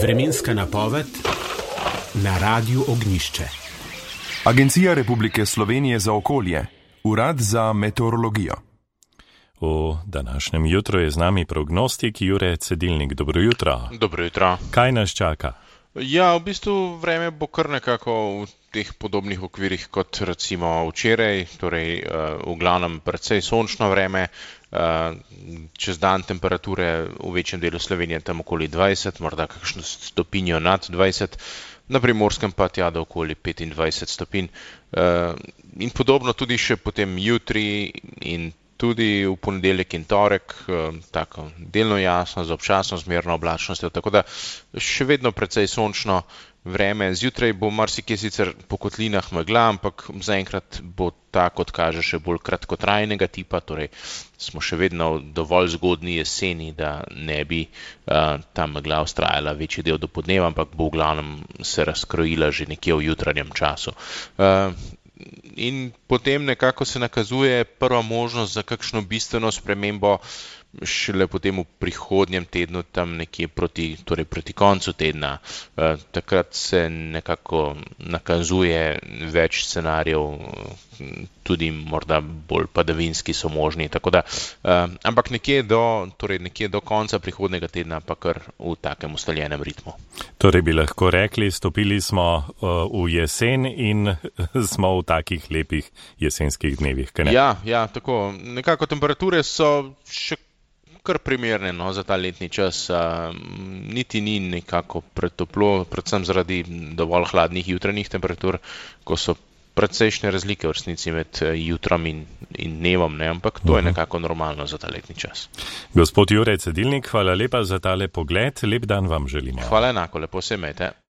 Vremenska napoved na Radiu Ognjišče. Agencija Republike Slovenije za okolje, Urad za meteorologijo. V današnjem jutru je z nami prognostik Jure Cedilnik. Dobro jutro. Dobro jutro. Kaj nas čaka? Ja, v bistvu vreme bo kar nekako v teh podobnih okvirih kot recimo včeraj, torej v glavnem precej sončno vreme, čez dan temperature v večjem delu Slovenije tam okoli 20, morda kakšno stopinjo nad 20, na Primorskem pa tja do okoli 25 stopinj. In podobno tudi še potem jutri in tudi v ponedeljek in torek, tako delno jasno, z občasno zmerno oblačnostjo, tako da še vedno precej sončno vreme. Zjutraj bo marsikje sicer po kotlinah megla, ampak zaenkrat bo ta, kot kaže, še bolj kratkotrajnega tipa, torej smo še vedno v dovolj zgodnji jeseni, da ne bi ta megla vztrajala večji del do podneva, ampak bo v glavnem se razkrojila že nekje v jutranjem času. In potem nekako se nakazuje prva možnost za kakšno bistveno spremembo šele potem v prihodnjem tednu, tam nekje proti koncu tedna. Takrat se nekako nakazuje več scenarijev, tudi morda bolj padavinski so možni, tako da, ampak nekje do konca prihodnega tedna pa kar v takem ustaljenem ritmu. Torej bi lahko rekli, stopili smo v jesen in smo v takih lepih jesenskih dnevih, kaj ne? Ja, tako. Nekako temperature so še kar primerne, no, za ta letni čas. Niti ni nekako pretoplo, predvsem zaradi dovolj hladnih jutranjih temperatur, ko so precejšnje razlike v resnici med jutrom in dnevom, ne, ampak to je nekako normalno za ta letni čas. Gospod Jure Cedilnik, hvala lepa za tale pogled, lep dan vam želimo. Hvala enako, lepo se imejte.